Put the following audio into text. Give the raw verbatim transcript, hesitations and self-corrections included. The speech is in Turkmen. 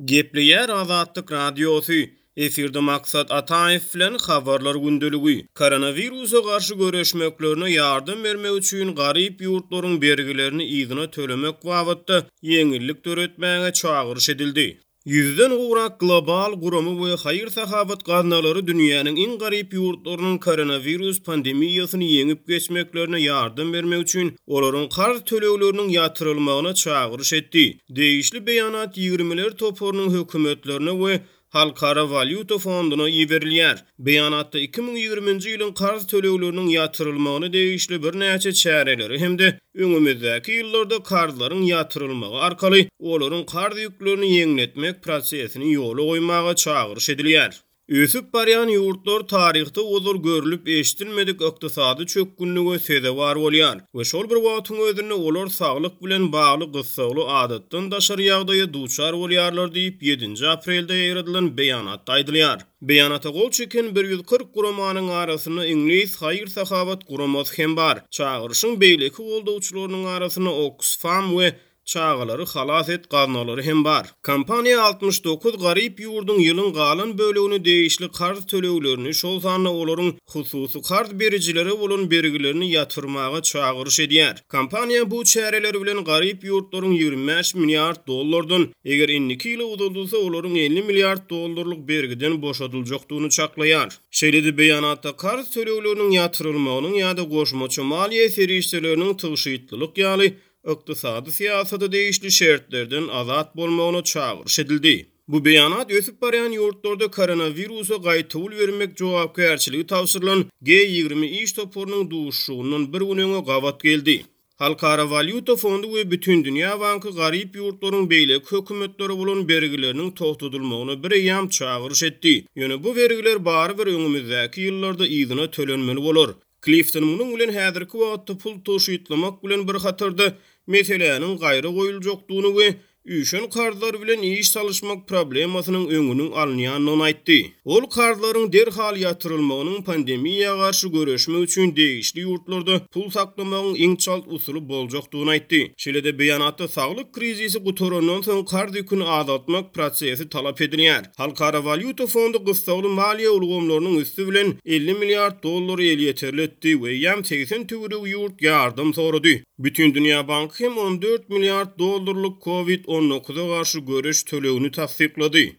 Gepleýär Azatlyk Radiosy, Efirde Maksat Ataýew bilen Habarlar gündeligi. Koronawirusa garşy göreşmeklerine ýardam bermek üçin garyp ýurtlaryň bergilerini yzyna tölemek babatda ýeňillik döretmäge çagyryş edildi. Ýüzden gowrak global gurama we haýyr-sahawat gaznalary dünýäniň iň garyp ýurtlarynyň koronawirus pandemiýasyny ýeňip geçmeklerine ýardam bermek üçin olaryň karz tölegleriniň ýatyrylmagyna çagyryş etdi. Degişli beýanat ýigrimiler toparynyň hökümetlerine we Halkara walýuta fonduna iberilýär. Beýanatda iki müň ýigriminji ýylyň karz tölegleriniň ýatyrylmagyna degişli birnäçe çäreleri hem-de öňümizdäki ýyllarda karzlaryň ýatyrylmagy arkaly olaryň karz ýüklerini ýeňletmek prosesini ýola goýmaga çagyryş edilýär. Ösüp barýan ýurtlar taryhda ozal görlüp-eşidilmedik ykdysady çökgünlige sezewar bolýar we şol bir wagtyň özünde olar saglyk bilen bagly gyssagly adatdan daşary ýagdaýa duçar bolýarlar diýip, ýedinji aprelde ýaýradylan beýanatda aýdylýar. Beýanata gol çeken bir ýüz kyrk guramanyň arasynda iňlis haýyr-sahawat guramasy hem bar. Çagyryşyň beýleki goldawçylarynyň arasynda Oksfam we Çagalary halas et gaznalary hem bar. Kompaniýa altmyş dokuz garyp ýurduň ýylyň galan bölegini degişli karz töleglerini, şol sanda olaryň hususy karz berijilere bolan bergilerini ýatyrmaga çagyryş edýär. Kompaniýa bu çäreler bilen garyp ýurtlaryň ýigrimi bäş milliard dollardan, eger indiki ýyla uzaldylsa, olaryň elli milliard dollarlyk bergiden boşadyljakdygyny çaklaýar. Şeýle-de beýanatda karz tölegleriniň ýatyrylmagynyň ýa-da goşmaça maliýe serişdeleriniň tygşytlylyk ýaly ykdysady syýasata degişli şertlerden azat bolmagyna çagyryş edildi. Bu beýanat ösüp barýan ýurtlarda koronawirusa gaýtawul bermek jogapkärçiligi tabşyrylan G ýigrimi iş toparynyň duşuşygyndan bir gün öňe gabat geldi. Halkara walýuta fondy we Bütindünýä banky garyp ýurtlaryň beýleki hökümetlere bolan bergileriniň togtadylmagyna bireýýäm çagyryş etdi. Ýöne bu bergiler barybir öňümizdäki ýyllarda yzyna tölenmeli bolar. Klifton munuň bilen häzirki wagtda pul tygşytlamak bilen bir hatarda meseläniň gaýra goýuljakdygyny we üýşen karzlar bilen iş salyşmak problemasynyň öňüniň alynýandygyny aýtdy. Ol karzlaryň derhal ýatyrylmagynyň pandemiýa garşy göreşmek üçin degişli ýurtlarda pul saklamagyň iň çalt usuly boljakdygyny aýtdy. Şeýle-de beýanatda saglyk krizisi gutarandan soň karz ýüküni azaltmak prosesi talap edilýär. Halkara walýuta fondy gyssagly maliýe ulgamlarynyň üsti bilen elli milliard dollary elýeterli etdi we eýýäm segsen töweregi ýurt ýardam sorady. Bütindünýä banky hem on dört milliard dollarlyk Covid on dokuza garşy göreş tölegini tassyklady.